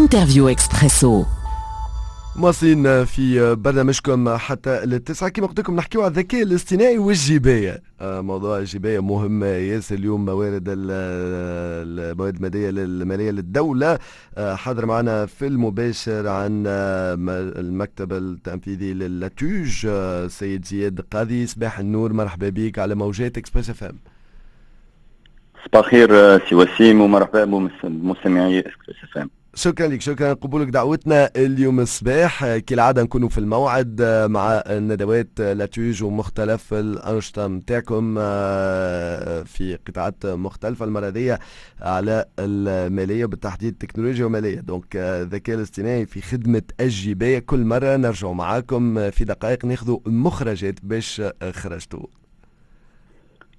Interview Expresso. مواصلين في برنامجكم حتى للتسعة. كما قلت لكم نحكيو على الذكاء الاصطناعي والجباية. موضوع الجباية مهم ياسر اليوم. الموارد المالية للدولة. حاضر معنا في المباشر عن المكتب التنفيذي ل l'ATUGE سيد زياد قاضي. صباح النور، مرحبا بك على موجات Express FM. صباح الخير سي وسيم، ومرحبا بمستمعي Express FM. شكرا لك، شكرا قبولك دعوتنا اليوم الصباح. كالعادة نكونوا في الموعد مع الندوات l'ATUGE ومختلف الأنشطة متاعكم في قطاعات مختلفة. المرة دي على المالية، بالتحديد التكنولوجيا ومالية، donc الذكاء الاصطناعي في خدمة الجباية. كل مرة نرجع معاكم في دقائق ناخذ مخرجات باش خرجتوا.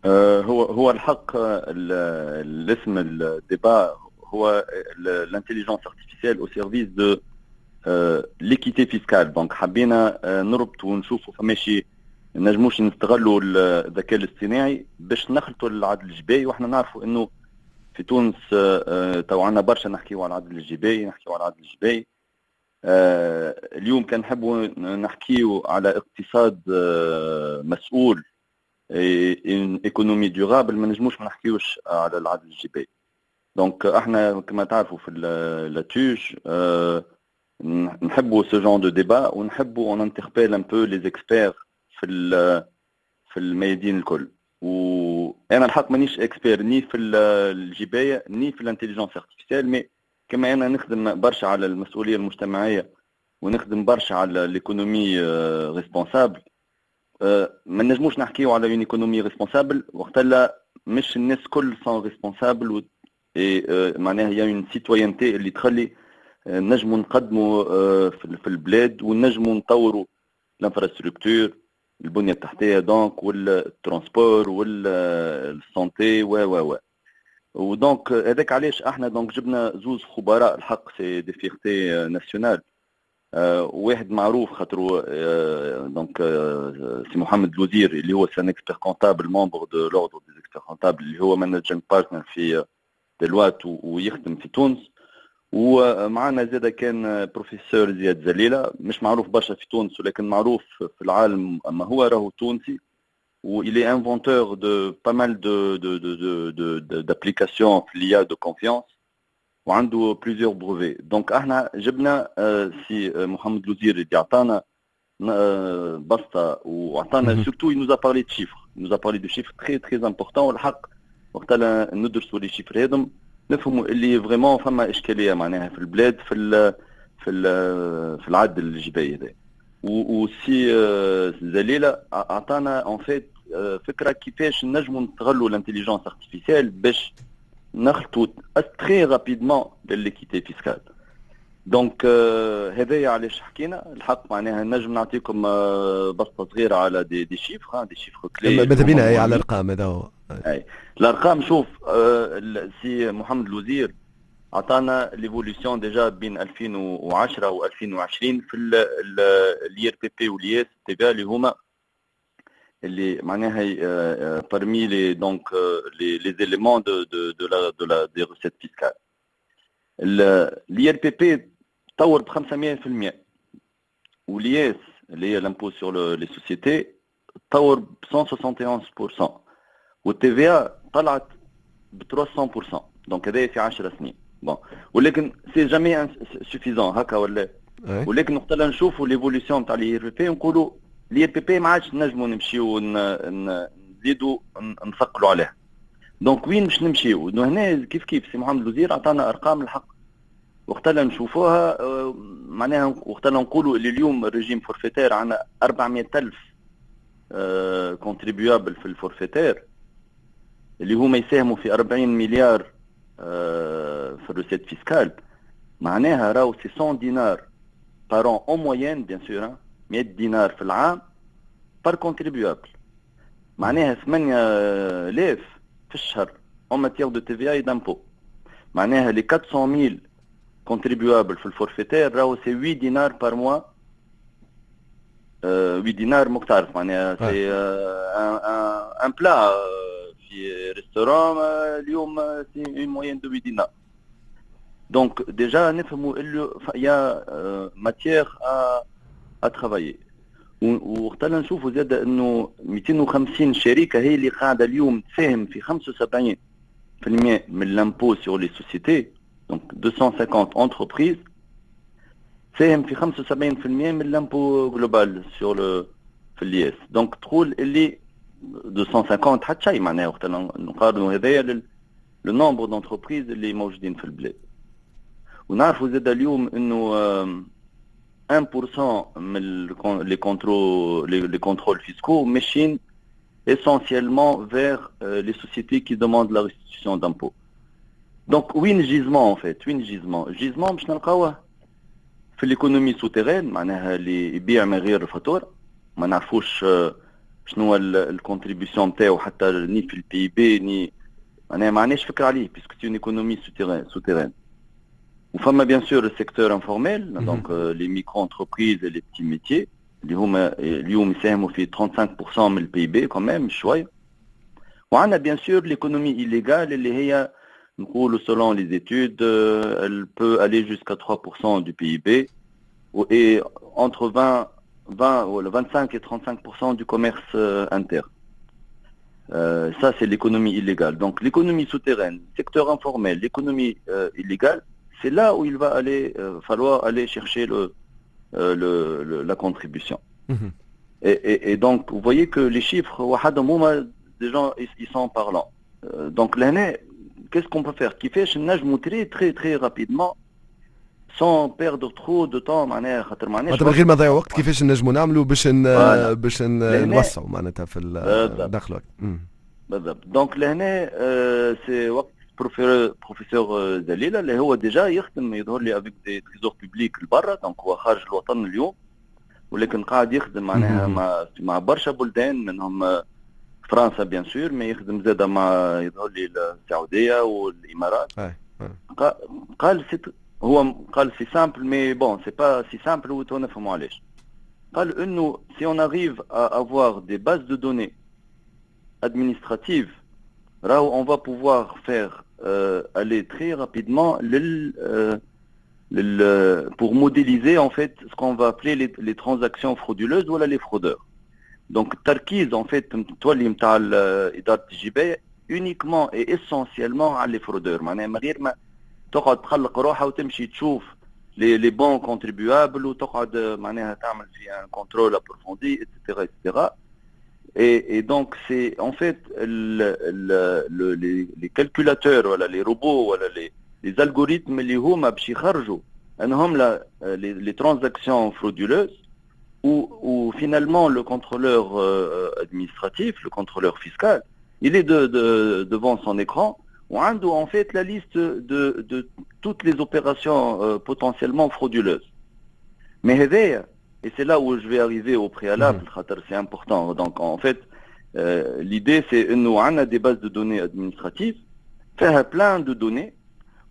هو الحق الاسم ال débat هو l'intelligence artificielle au service de l'équité fiscale. donc حبينا نربط ونشوفوا فماشي نجموش نستغلوا الذكاء الاصطناعي باش نخلطوا العدل الجبائي. واحنا نعرفوا انه في تونس تو عندنا برشا نحكيو على العدل الجبائي، نحكيو على العدل الجبائي. اليوم كان نحبوا نحكيو على اقتصاد مسؤول، une économie durable، ما نجموش ما نحكيوش على العدل الجبائي. donc احنا كما تعرفوا في l'ATUGE نحبوا ce genre de débat ونحبوا on interpelle un peu les experts في الميادين الكل. وانا الحق مانيش expert ni في الجبايه ni في l'intelligence artificielle، mais كما انا نخدم برشا على المسؤولية المجتمعية ونخدم برشا على l'économie responsable. ما نجموش نحكيو على une économie responsable وقت مش الناس كل sont responsables، معناها هي une citoyenneté اللي تخلي نجموا نقدموا في البلاد ونجموا نطوروا l'infrastructure، البنية التحتيه، donc وال transport وال santé و و و و donc هذاك علاش احنا donc جبنا زوز خبراء، الحق c'est des fiertés nationales. واحد معروف خاطر donc سي محمد الوزير اللي هو c'est un expert comptable، membre de l'ordre des experts comptables، اللي هو managing partner في Deloitte ويخدم في تونس. ومعنا زاد كان بروفيسور زياد زليله، مش معروف برشا في تونس ولكن معروف في العالم، اما هو راهو تونسي و il est inventeur de pas mal de d'applications في l'IA de confiance وعنده plusieurs brevets. donc احنا جبنا سي محمد الوزير اللي عطانا بسطه وعطانا surtout il nous a parlé de chiffres، il nous a parlé de chiffres très très importants. والحق وقت ندرسوا les chiffres هذم نفهموا اللي vraiment فما اشكالية معناها في البلاد في العدل الجبائي هذا. وسي زليله اعطانا en fait فكرة كيفاش نجموا نستغلوا l'intelligence artificielle باش نخلطوا très rapidement l'équité fiscale. donc هذايا علاش حكينا. الحق معناها نجم نعطيكم بسطه صغيرة على des chiffres، des chiffres clés. ماذا بينا على الارقام، هذا هو. اي، الارقام، شوف، سي محمد الوزير عطانا l'évolution déjà بين 2010 و 2020 في ال IRPP وال IS TVA، اللي هما اللي معناها parmi les donc les éléments de la des recettes fiscales. l'IRPP تطور ب 500% وال IS اللي هي l'impôt sur les sociétés تطور ب 171% وال TVA طلعت ب 300%. donc هذا في 10 سنين. bon، ولكن c'est jamais suffisant هكا ولا؟ ولكن وقت نشوفوا l'évolution تاع l'IRPP نقولوا l'IRPP ما عادش نجموا نمشيو نزيدوا نثقلوا عليه. donc وين باش نمشيو هنا؟ كيف كيف سي محمد الوزير عطانا ارقام، الحق وقت نشوفوها معناها وقت نقولوا اللي اليوم ال régime forfaitaire عندنا 400 ألف contribuables في ال forfaitaire اللي هما يساهموا في 40 مليار في ال recettes fiscales، معناها راهو c'est 100 دينار par an en moyenne، bien sûr، 100 دينار في العام par contribuable، معناها 8000 في الشهر en matière de TVA et d'impôt. معناها les 400 000 contribuables في ال forfaitaire راهو c'est 8 دينار par mois. 8 دينار ماك تعرف معناها c'est un plat في restaurant اليوم، c'est une moyenne de 8 دينار. Donc déjà نفهموا اللي y a matière à travailler. وقت نشوفوا زاد انه 250 شركة هي اللي قاعدة اليوم تساهم في 75% من l'impôt sur les sociétés، donc 250 entreprises تساهم في 75% من l'impôt global sur le في l'IS. donc تقول اللي 250 حتى شيء، معناها وقت نقارنوا هذايا le nombre d'entreprises اللي موجودين في البلاد. ونعرفوا زاد اليوم انه 1% من les contrôles fiscaux ماشيين essentiellement vers les sociétés qui demandent la restitution d'impôts. Donc وين gisement en fait؟ وين gisement؟ gisement باش نلقاوه في l'économie souterraine، معناها اللي يبيع من غير فاتورة، ما نعرفوش شنو هو ال contribution نتاعو حتى ni في ال PIB ni معناها ما عندناش فكرة عليه puisque c'est une économie souterraine. وفما bien sûr ال secteur informel، donc les micro-entreprises، les petits métiers اللي هما اليوم يساهموا في 35% من ال PIB quand même شويه. وعندنا bien sûr l'économie illégale اللي هي نقولوا selon les études elle peut aller jusqu'à 3% du PIB et entre 20 ou 25 et 35% du commerce interne. Ça, c'est l'économie illégale. Donc, l'économie souterraine, secteur informel, l'économie illégale, c'est là où il va aller falloir aller chercher la contribution. Et donc, vous voyez que les chiffres, déjà, ils sont parlants. Donc, لهنا, qu'est-ce qu'on peut faire؟ كيفاش نجموا très, très, très rapidement sans perdre trop de temps، معناها خاطر معناها من غير ما نضيع وقت، كيفاش نجموا نعملوا باش نوسعوا معناتها في الدخل وقت؟ بالضبط. donc لهنا c'est وقت بروفيسور دليله اللي هو déjà يخدم يظهر لي avec des trésors publics لبرا، donc هو خارج الوطن اليوم ولكن قاعد يخدم معناها مع برشا بلدان، منهم فرنسا bien sûr، mais يخدم زاده مع يظهر لي السعودية والامارات. قال هو قال c'est simple، mais bon c'est pas si simple، وتو نفهموا علاش. قال انه si on arrive à avoir des bases de données administratives راهو on va pouvoir faire aller très rapidement pour modéliser en fait ce qu'on va appeler les transactions frauduleuses ou les fraudeurs. Donc التركيز en fait تولي نتاع ادارة الجبايه uniquement et essentiellement على les fraudeurs، معناها من غير ما تقعد تخلق روحها وتمشي تشوف les bons contribuables وتقعد معناها تعمل في un contrôle approfondi et cetera et cetera. Et donc, c'est en fait les calculateurs, voilà, les robots, voilà, les algorithmes اللي هما باش يخرجوا انهم les transactions frauduleuses où finalement le contrôleur administratif, le contrôleur fiscal, il est devant son écran وعنده en fait la liste de toutes les opérations potentiellement frauduleuses. Mais هذايا، et c'est là où je vais arriver au préalable, خاطر c'est important. Donc en fait, l'idée c'est انه عندنا des bases de données administratives فيها plein de données،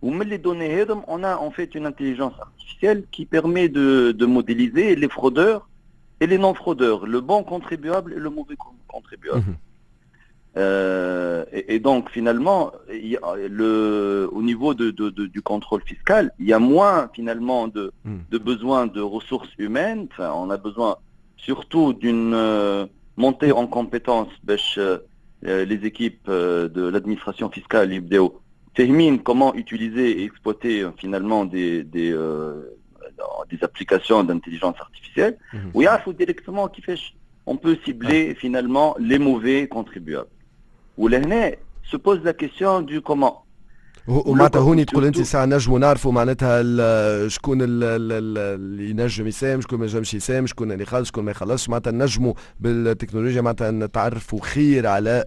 ومن les données هذم on a en fait une intelligence artificielle qui permet de modéliser les fraudeurs et les non-fraudeurs, le bon contribuable et le mauvais contribuable. Et donc finalement, il y a au niveau du contrôle fiscal, il y a moins finalement de besoin de ressources humaines. Enfin, on a besoin surtout d'une montée en compétences باش les équipes de l'administration fiscale يبداو فاهمين comment utiliser et exploiter finalement des applications d'intelligence artificielle ويعرفوا directement كيفاش on peut cibler finalement les mauvais contribuables. ولهنا se pose la question du comment. ومعناتها هوني تقول انت ساعة نجموا نعرفوا معناتها شكون اللي ينجم يساهم، شكون ما ينجمش يساهم، شكون اللي يخلص، شكون ما يخلصش، معناتها نجموا بالتكنولوجيا معناتها نتعرفوا خير على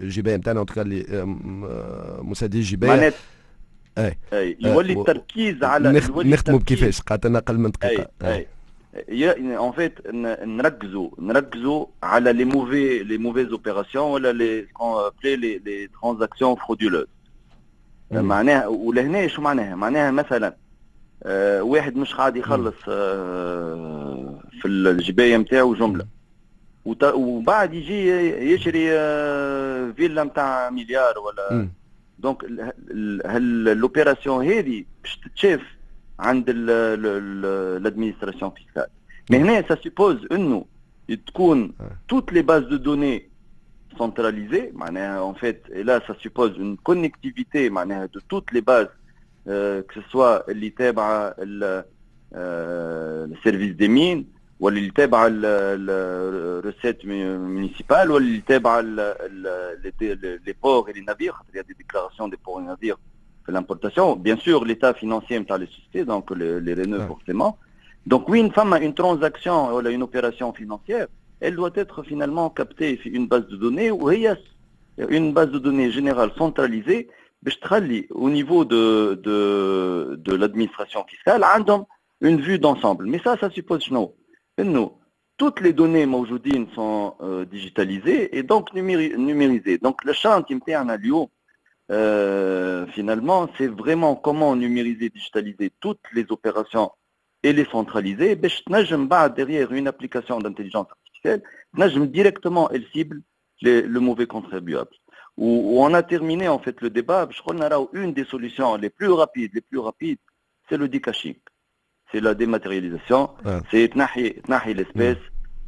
الجبايه نتاعنا اللي مسدي الجبايه. اي اي يولي التركيز على نختموا بكيفاش، قعدت لنا اقل من دقيقه. اي اي en fait نركزوا على les mauvaises opérations ولا les transactions frauduleuses. معناها ولهنا شو معناها؟ معناها مثلا واحد مش قاعد يخلص في الجبايه نتاعو جملة وبعد يجي يشري فيلا نتاع مليار ولا donc l'opération هذه باش تتشاف عند l'administration fiscale. mais هنا ça suppose انه تكون toutes les bases de données centralisées معناها en fait, et là ça suppose une connectivité معناها de toutes les bases, que ce soit اللي تابعه ال service des mines ولا اللي تابعه ال recettes municipales ولا اللي تابعه les ports et les navires, خاطر il y a des déclarations des ports et navires في l'importation, bien sûr l'état financier نتاع les sociétés, donc les RNE forcément. Donc وين فما une transaction ولا une opération financière, elle doit être finalement captée في une base de données, وهي une base de données générale centralisée باش تخلي au niveau de l'administration fiscale عندهم une vue d'ensemble. Mais ça suppose شنو؟ انه toutes les données موجودين sont digitalisées et donc numérisées. Donc le chantier نتاعنا اليوم finalement, c'est vraiment comment numériser, digitaliser toutes les opérations et les centraliser باش تنجم بعد derrière une application d'intelligence artificielle تنجم directement elle cible le mauvais contribuable. Où on a terminé en fait le débat باش قلنا راهو une des solutions les plus rapides, c'est le decashing, c'est la dématérialisation, c'est تنحي l'espèce.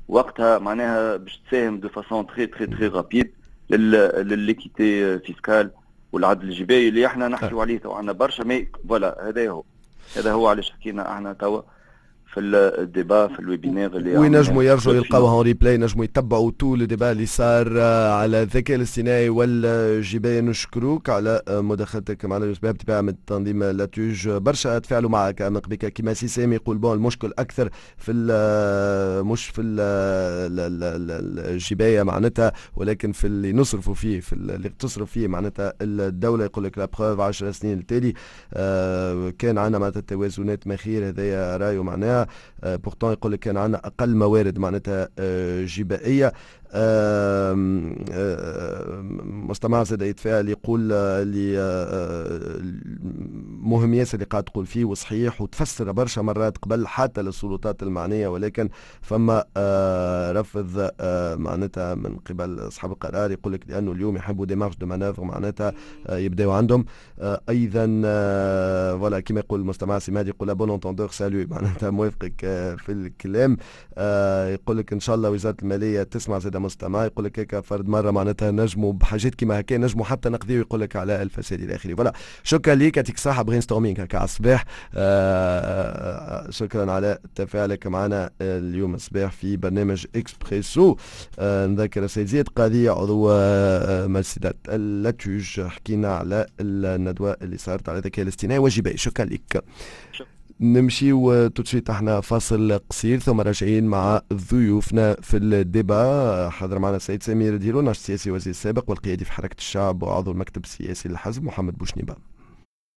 وقتها معناها باش تساهم de façon très très très rapide لل l'équité fiscale والعدل الجبائي اللي احنا نحكيو عليه تو عندنا برشا. mais voilà, هذا هو علاش حكينا احنا توا في ال débat في ال webinaire اللي وينجموا يرجعوا يلقاوها en replay, ينجموا يتبعوا tout le débat اللي صار على الذكاء الاصطناعي والجباية. نشكروك على مداخلتك معنا اليوم بطبيعة من تنظيم l'ATUGE. برشا تفاعلوا معك من قبل, كيما سي سامي يقول bon المشكل اكثر في مش في الجباية معناتها, ولكن في اللي نصرفوا فيه, في اللي تصرف فيه معناتها الدولة. يقول لك la preuve 10 سنين التالي كان عندنا معناتها التوازنات ما خير, هذايا رايه معناها. pourtant يقول لك كان عندنا اقل موارد معناتها جبائيه. مستمع زاد يتفاعل يقول اللي مهم ياسر اللي قاعد تقول فيه وصحيح وتفسر برشا مرات قبل حتى للسلطات المعنيه, ولكن فما رفض معناتها من قبل اصحاب القرار. يقول لك لانه اليوم يحبوا des marges de manœuvre معناتها يبداو عندهم ايضا. voilà, كما يقول المستمع سماد يقول à bon entendeur salut, معناتها موافقك في الكلام. يقول لك ان شاء الله وزارة المالية تسمع. زاد مستمع يقول لك هيك فرد مرة معناتها نجموا بحاجات كيما هكا نجموا حتى نقضيو يقول لك على الفساد الى اخره. voilà, شكرا ليك, يعطيك الصحه, brainstorming هكا على الصباح. شكرا على تفاعلك معنا اليوم الصباح في برنامج اكسبريسو. نذكر السيد زياد قاضي عضو مجلس l'ATUGE, حكينا على الندوة اللي صارت على الذكاء الاصطناعي والجبائي. شكرا لك. نمشيو tout de suite احنا فاصل قصير ثم راجعين مع ضيوفنا في ال débat. حاضر معنا السيد سمير ديلو, ناشط سياسي وزير السابق والقيادي في حركة الشعب وعضو المكتب السياسي للحزب محمد بوشنيبه.